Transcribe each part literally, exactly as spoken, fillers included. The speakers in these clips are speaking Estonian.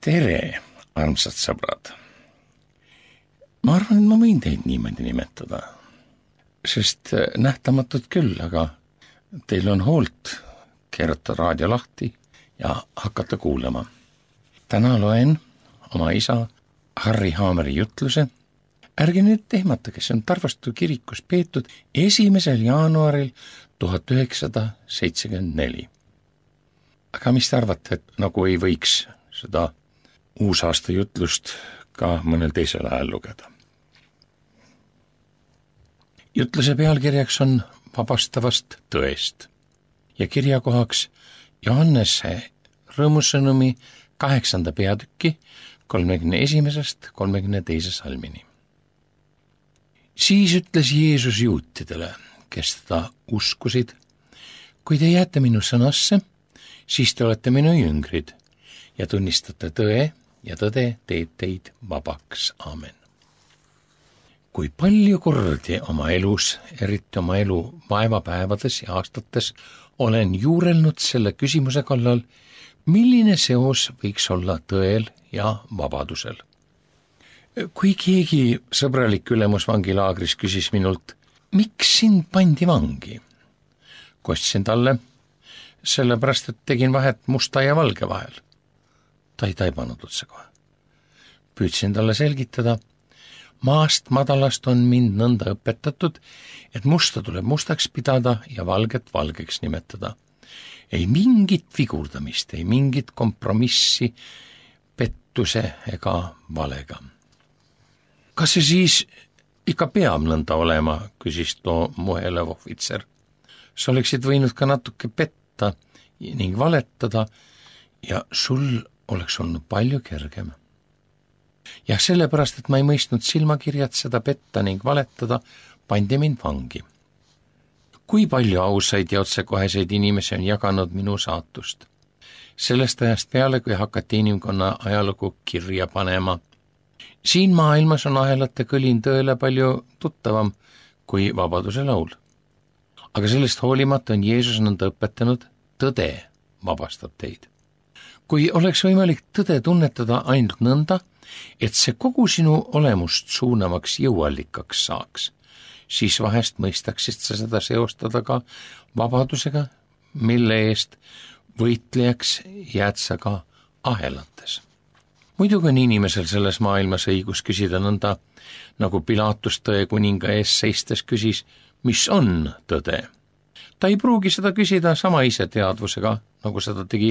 Tere, armsad sõbrad! Ma arvan, et ma võin teid niimoodi nimetada, sest nähtamatud küll, aga teil on hoolt keerata raadio lahti ja hakata kuulama. Täna loen oma isa Harri Haameri jutluse. Ärge nüüd ehmatage, see on Tarvastu kirikus peetud esimesel jaanuaril tuhat üheksasada seitsekümmend neli. Aga mis te arvate, et nagu ei võiks seda uusaasta jutlust ka mõnel teisel ajal lugeda? Jutluse pealkirjaks on vabastavast tõest ja kirjakohaks Johannese rõõmusõnumi kaheksanda peatüki kolmekümne esimesest kolmekümne teise salmini. Siis ütles Jeesus juutidele, kes teda uskusid: kui te jääte minu sõnasse, siis te olete minu jüngrid ja tunnistate tõe ja tõde teeb teid vabaks. Aamen. Kui palju kordi oma elus, eriti oma elu vaevapäevades ja aastates, olen juurelnud selle küsimuse kallal, milline seos võiks olla tõel ja vabadusel. Kui keegi sõbralik ülemus vangilaagris küsis minult, miks sind pandi vangi? Kostsin talle, sellepärast, et tegin vahet musta ja valge vahel. Ta ei taibanud otse kohe. Püüdsin talle selgitada, maast madalast on mind nõnda õpetatud, et musta tuleb mustaks pidada ja valget valgeks nimetada. Ei mingit vigurdamist, ei mingit kompromissi, pettuse ega valega. Kas see siis ikka peab nõnda olema, küsis too muhelev ohvitser. Sa oleksid võinud ka natuke petta ning valetada ja sul oleks olnud palju kergem. Ja sellepärast, et ma ei mõistnud silmakirjad seda petta ning valetada, pandi mind vangi. Kui palju ausaid ja otsekoheseid inimesi on jaganud minu saatust? Sellest ajast peale, kui hakati inimkonna ajalugu kirja panema. Siin maailmas on ahelate kõlin tõele palju tuttavam kui vabaduse laul. Aga sellest hoolimata on Jeesus nõnda õpetanud, tõde vabastab teid. Kui oleks võimalik tõde tunnetada ainult nõnda, et see kogu sinu olemust suunavaks jõuallikaks saaks, siis vahest mõistaksid sa seda seostada ka vabadusega, mille eest võitlejaks jääd sa ka ahelates. Muidugi on inimesel selles maailmas õigus küsida nõnda, nagu Pilatus tõe kuninga ees seistes küsis, mis on tõde. Ta ei pruugi seda küsida sama ise teadvusega, nagu seda tegi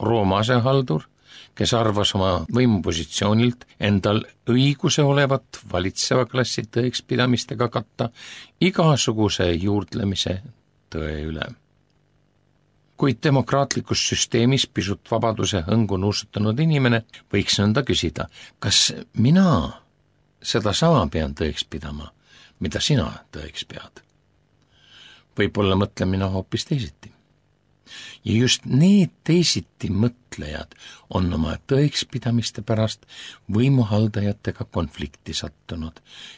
Rooma asehaldur, kes arvas oma võimupositsioonilt endal õiguse olevat valitseva klassi tõekspidamistega katta igasuguse juurdlemise tõe üle. Kuid demokraatlikus süsteemis pisut vabaduse hõngu nuusutanud inimene võiks nõnda küsida, kas mina seda sama pean tõeks pidama, mida sina tõeks pead? Võib-olla mõtlen mina hoopis teisiti. Ja just need teisiti mõtlejad on oma tõekspidamiste pärast võimuhaldajatega konflikti sattunud,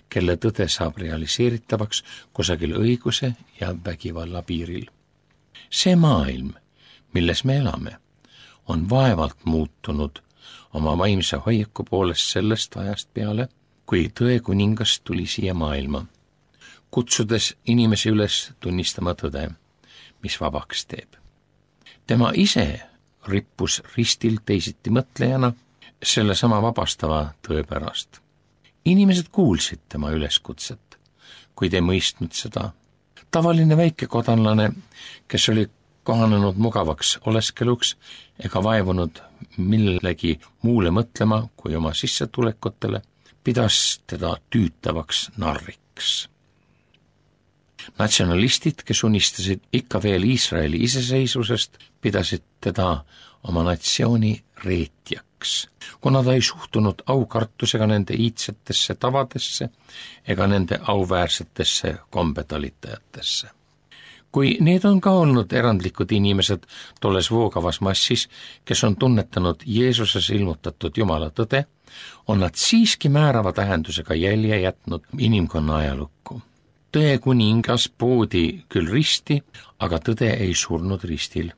kelle tõde saab realiseeritavaks kusagil õiguse ja vägivalla piiril. See maailm, milles me elame, on vaevalt muutunud oma vaimse hoiaku poolest sellest ajast peale, kui tõe kuningas tuli siia maailma, kutsudes inimesi üles tunnistama tõde, mis vabaks teeb. Tema ise rippus ristil teisiti mõtlejana selle sama vabastava tõe pärast. Inimesed kuulsid tema üleskutset, kuid ei mõistnud seda. Tavaline väikekodanlane, kes oli kohanenud mugavaks oleskeluks ega vaevunud millegi muule mõtlema kui oma sissetulekutele, pidas teda tüütavaks narriks. Natsionalistid, kes unistasid ikka veel Iisraeli iseseisvusest, pidasid teda oma natsiooni reetjaks, kuna ta ei suhtunud aukartusega nende iidsetesse tavadesse ega nende auväärsetesse kombetalitajatesse. Kui need on ka olnud erandlikud inimesed tolles voogavas massis, kes on tunnetanud Jeesuses ilmutatud Jumala tõde, on nad siiski määrava tähendusega jälje jätnud inimkonna ajalukku. Tõe kuningas poodi küll risti, aga tõde ei surnud ristil.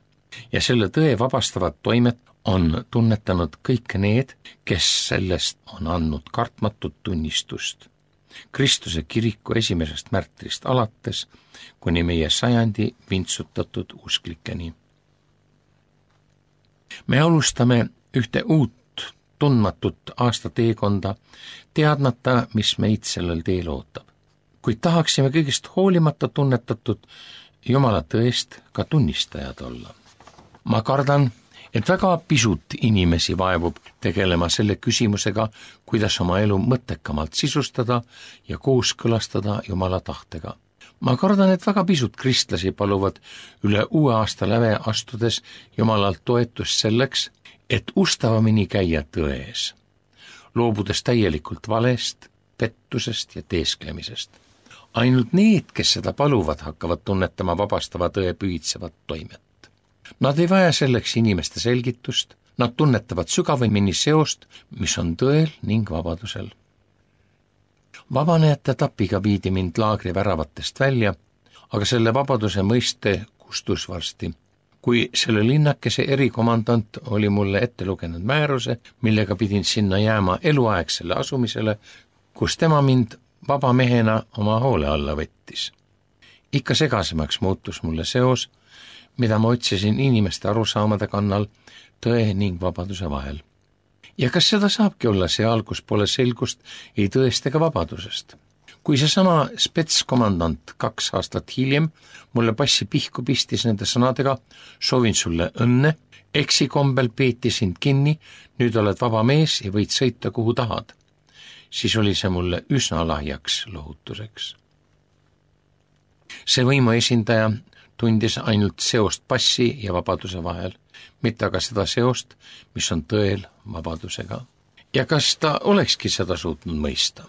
ja selle tõe vabastavat toimet on tunnetanud kõik need, kes sellest on andnud kartmatut tunnistust. Kristuse kiriku esimesest märtrist alates kuni meie sajandi vintsutatud usklikeni. Me alustame ühte uut tundmatut aastateekonda, teadmata, mis meid sellel teel ootab. Kuid tahaksime kõigest hoolimata tunnetatud Jumala tõest ka tunnistajad olla. Ma kardan, et väga pisut inimesi vaevub tegelema selle küsimusega, kuidas oma elu mõttekamalt sisustada ja kooskõlastada Jumala tahtega. Ma kardan, et väga pisut kristlasi paluvad üle uue aasta läve astudes Jumalalt toetust selleks, et ustavamini käia tões, loobudes täielikult valest, pettusest ja teesklemisest. Ainult need, kes seda paluvad, hakkavad tunnetama vabastava tõe pühitsevat toimet. Nad ei vaja selleks inimeste selgitust, nad tunnetavad sügavamini seost, mis on tõel ning vabadusel. Vabanejate tapiga viidi mind laagri väravatest välja, aga selle vabaduse mõiste kustus varsti. Kui selle linnakese erikomandant oli mulle ette lugenud määruse, millega pidin sinna jääma eluaegsele asumisele, kus tema mind vaba mehena oma hoole alla võttis. Ikka segasemaks muutus mulle seos, mida ma otsisin inimeste arusaamade kannal tõe ning vabaduse vahel. Ja kas seda saabki olla seal, kus pole selgust ei tõest ega vabadusest? Kui seesama spetskomandant kaks aastat hiljem mulle passi pihku pistis nende sõnadega, soovin sulle õnne, eksikombel peeti sind kinni, nüüd oled vaba mees ja võid sõita kuhu tahad, siis oli see mulle üsna lahjaks lohutuseks. See võimu esindaja tundis ainult seost passi ja vabaduse vahel, mitte aga seda seost, mis on tõel vabadusega. Ja kas ta olekski seda suutnud mõista?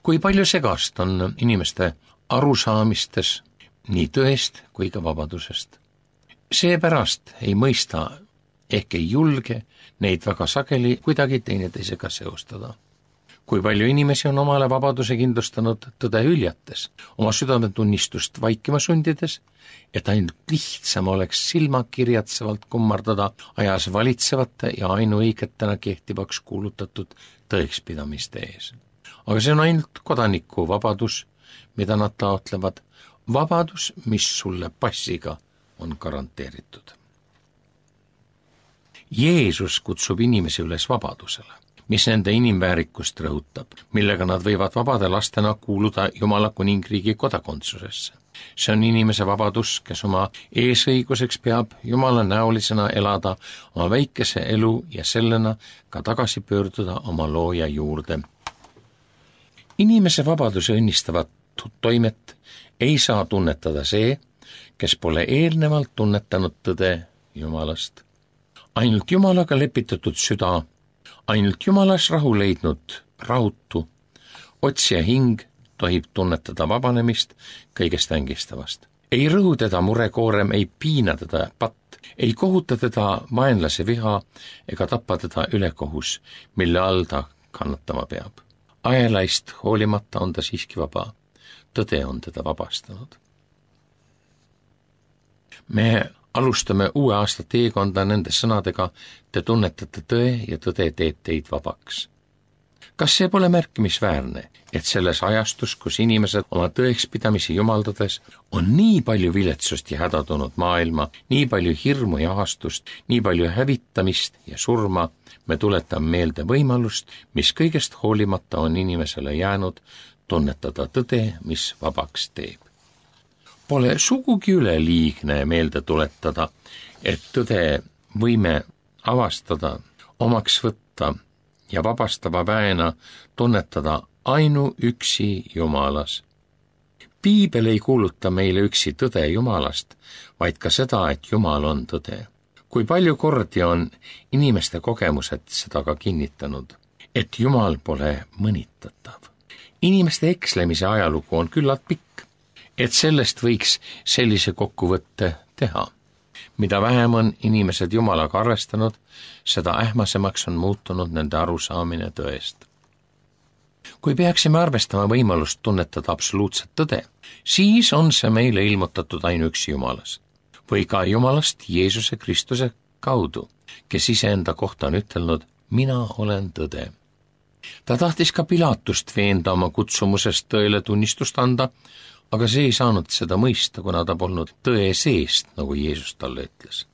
Kui palju segast on inimeste arusaamistes nii tõest kui ka vabadusest. Seepärast ei mõista ehk ei julge neid väga sageli kuidagi teineteisega seostada. Kui palju inimesi on omale vabaduse kindlustanud tõde hüljates, oma südametunnistust vaikima sundides, et ainult lihtsam oleks silmakirjatsevalt kummardada ajas valitsevate ja ainuõigetena kehtivaks kuulutatud tõekspidamiste ees. Aga see on ainult kodaniku vabadus, mida nad taotlevad, vabadus, mis sulle passiga on garanteeritud. Jeesus kutsub inimesi üles vabadusele, mis nende inimväärikust rõhutab, millega nad võivad vabade lastena kuuluda Jumala kuningriigi kodakondsusesse. See on inimese vabadus, kes oma eesõiguseks peab Jumala näolisena elada oma väikese elu ja sellena ka tagasi pöörduda oma looja juurde. Inimese vabaduse õnnistavat toimet ei saa tunnetada see, kes pole eelnevalt tunnetanud tõde Jumalast. Ainult Jumalaga lepitatud süda, ainult Jumalas rahu leidnud rahutu, otsija hing tohib tunnetada vabanemist kõigest ängistavast. Ei rõhu teda murekoorem, ei piina teda patt, ei kohuta teda vaenlase viha ega tappa teda ülekohus, mille all ta kannatama peab. Aelaist hoolimata on ta siiski vaba. Tõde on teda vabastanud. Me alustame uue aasta teekonda nende sõnadega, te tunnetate tõe ja tõde teeb teid vabaks. Kas see pole märkimisväärne, et selles ajastus, kus inimesed oma tõekspidamisi jumaldades, on nii palju viletsust ja hädadunud maailma, nii palju hirmu ja ahastust, nii palju hävitamist ja surma, me tuletame meelde võimalust, mis kõigest hoolimata on inimesele jäänud, tunnetada tõde, mis vabaks teeb. Pole sugugi üleliigne meelde tuletada, et tõde võime avastada, omaks võtta ja vabastava väena tunnetada ainuüksi Jumalas. Piibel ei kuuluta meile üksi tõde Jumalast, vaid ka seda, et Jumal on tõde. Kui palju kordi on inimeste kogemused seda ka kinnitanud, et Jumal pole mõnitatav. Inimeste ekslemise ajalugu on küllalt pikk, et sellest võiks sellise kokkuvõtte teha. Mida vähem on inimesed Jumalaga arvestanud, seda ähmasemaks on muutunud nende arusaamine tõest. Kui peaksime arvestama võimalust tunnetada absoluutset tõde, siis on see meile ilmutatud ainuüksi Jumalas. või ka Jumalast Jeesuse Kristuse kaudu, kes iseenda kohta on ütelnud, mina olen tõde. Ta tahtis ka Pilatust veenda oma kutsumusest tõele tunnistust anda, aga see ei saanud seda mõista, kuna ta polnud tõe seest, nagu Jeesus talle ütles.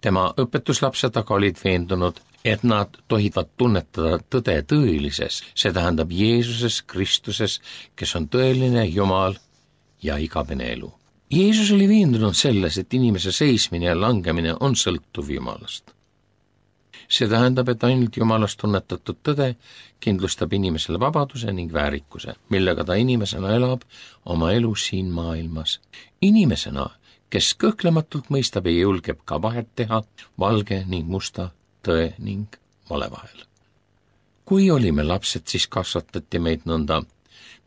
Tema õpetuslapsed aga olid veendunud, et nad tohivad tunnetada tõde tõelises, see tähendab Jeesuses Kristuses, kes on tõeline Jumal ja igavene elu. Jeesus oli veendunud selles, et inimese seismine ja langemine on sõltuv Jumalast. See tähendab, et ainult Jumalast tunnetatud tõde kindlustab inimesele vabaduse ning väärikuse, millega ta inimesena elab oma elu siin maailmas. Inimesena, kes kõhklematult mõistab ja julgeb ka vahet teha valge ning musta, tõe ning vale vahel. Kui olime lapsed, siis kasvatati meid nõnda.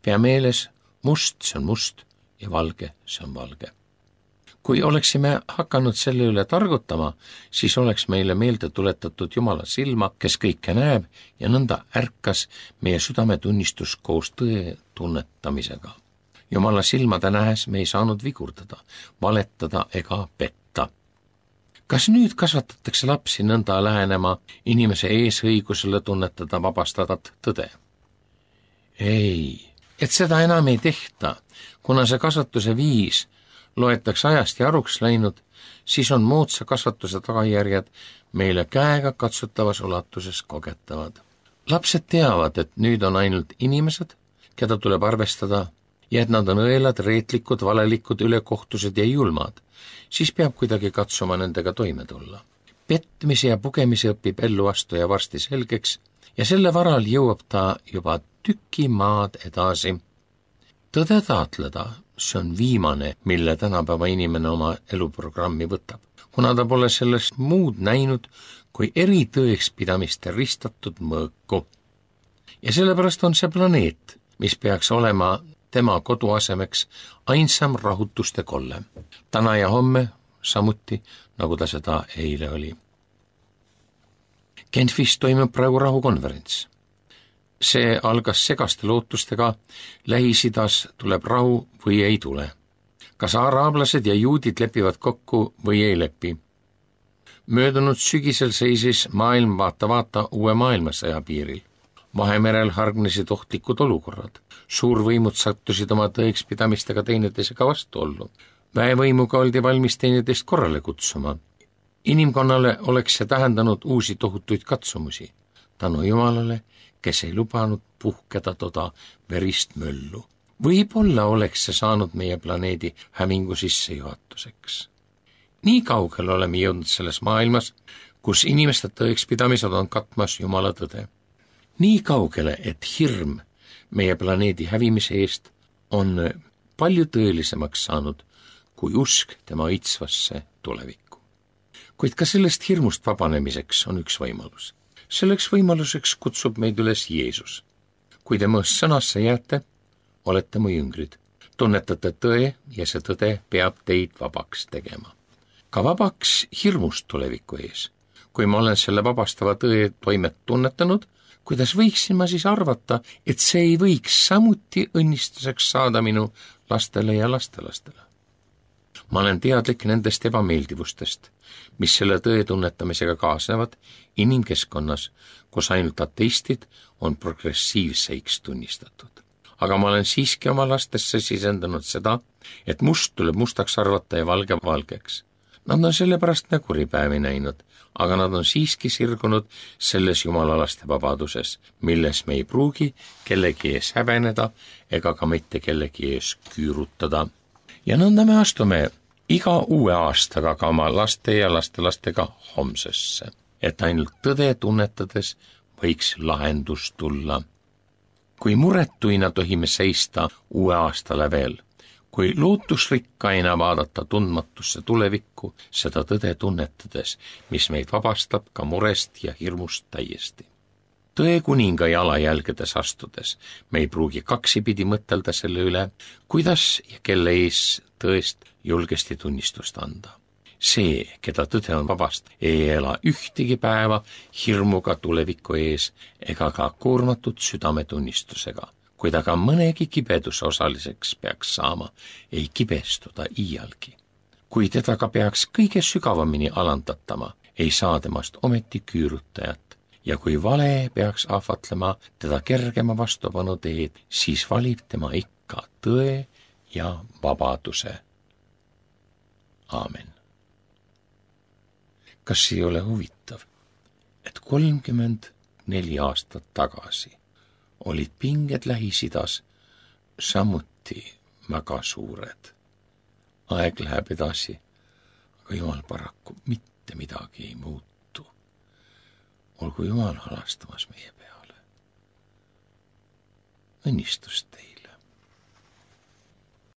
Pea meeles, must, see on must ja valge, see on valge. Kui oleksime hakanud selle üle targutama, siis oleks meile meelde tuletatud Jumala silma, kes kõike näeb ja nõnda ärkas meie südametunnistus koos tõe tunnetamisega. Jumala silmade nähes me ei saanud vigurdada, valetada ega petta. Kas nüüd kasvatatakse lapsi nõnda lähenema inimese eesõigusele tunnetada vabastadat tõde? Ei, et seda enam ei tehta, kuna see kasvatuse viis loetakse ajast ja aruks läinud, siis on moodsa kasvatuse tagajärjed meile käega katsutavas ulatuses kogetavad. Lapsed teavad, et nüüd on ainult inimesed, keda tuleb arvestada, ja et nad on õelad, reetlikud, valelikud, ülekohtused ja julmad, siis peab kuidagi katsuma nendega toime tulla. Petmise ja pugemise õpib ellu astuja varsti selgeks ja selle varal jõuab ta juba tüki maad edasi. Tõde taatleda, see on viimane, mille tänapäeva inimene oma eluprogrammi võtab, kuna ta pole sellest muud näinud kui eri tõekspidamiste ristatud mõõku. Ja sellepärast on see planeet, mis peaks olema tema koduasemeks ainsam rahutuste kolle. Täna ja homme samuti, nagu ta seda eile oli. Genfis toimub praegu rahukonverents. See algas segaste lootustega, Lähis-Idas tuleb rahu või ei tule. Kas araablased ja juudid lepivad kokku või ei lepi? Möödunud sügisel seisis maailm vaata-vaata uue maailmasõja piiril. Vahemerel hargnesid ohtlikud olukorrad. Suurvõimud sattusid oma tõekspidamistega teineteisega vastuollu. Väevõimuga oldi valmis teineteist korrale kutsuma. Inimkonnale oleks see tähendanud uusi tohutuid katsumusi. Tänu Jumalale, kes ei lubanud puhkeda toda verist möllu. Võib-olla oleks see saanud meie planeedi hävingu sissejuhatuseks. Nii kaugel oleme jõudnud selles maailmas, kus inimeste tõekspidamised on katmas Jumala tõde. Nii kaugele, et hirm meie planeedi hävimise eest on palju tõelisemaks saanud kui usk tema õitsvasse tulevikku. Kuid ka sellest hirmust vabanemiseks on üks võimalus. Selleks võimaluseks kutsub meid üles Jeesus. Kui te mu sõnasse jääte, olete mu jüngrid. Tunnetate tõe ja see tõde peab teid vabaks tegema. Ka vabaks hirmust tuleviku ees. Kui ma olen selle vabastava tõe toimet tunnetanud, kuidas võiksin ma siis arvata, et see ei võiks samuti õnnistuseks saada minu lastele ja lastelastele? Ma olen teadlik nendest ebameeldivustest, mis selle tõe tunnetamisega kaasnevad inimkeskkonnas, kus ainult ateistid on progressiivseiks tunnistatud. Aga ma olen siiski oma lastesse sisendanud seda, et must tuleb mustaks arvata ja valge valgeks. Nad on sellepärast näguripäevi näinud, aga nad on siiski sirgunud selles jumalalaste vabaduses, milles me ei pruugi kellegi ees häbeneda ega ka mitte kellegi ees küürutada. Ja nõnda me astume iga uue aastaga ka oma laste ja lastelastega homsesse, et ainult tõde tunnetades võiks lahendus tulla. Kui muretuina tohime seista uue aasta lävel, kui lootusrikkaina vaadata tundmatusse tulevikku, seda tõde tunnetades, mis meid vabastab ka murest ja hirmust täiesti. Tõe kuninga jalajälgedes astudes me ei pruugi kaksipidi mõtelda selle üle, kuidas ja kelle ees tõest julgesti tunnistust anda. See, keda tõde on vabast, ei ela ühtegi päeva hirmuga tuleviku ees ega ka koormatud südametunnistusega. Kui ta ka mõnegi kibeduse osaliseks peaks saama, ei kibestuda iialgi. kui teda ka peaks kõige sügavamini alandatama, ei saa temast ometi küürutajat. Ja kui vale peaks ahvatlema teda kergema vastupanu teed, siis valib tema ikka tõe ja vabaduse. Aamen. Kas ei ole huvitav, et kolmkümmend neli aastat tagasi olid pinged Lähis-Idas samuti väga suured. Aeg läheb edasi, aga Jumal paraku mitte midagi ei muutu. Olgu Jumal halastamas meie peale. Õnnistust teile.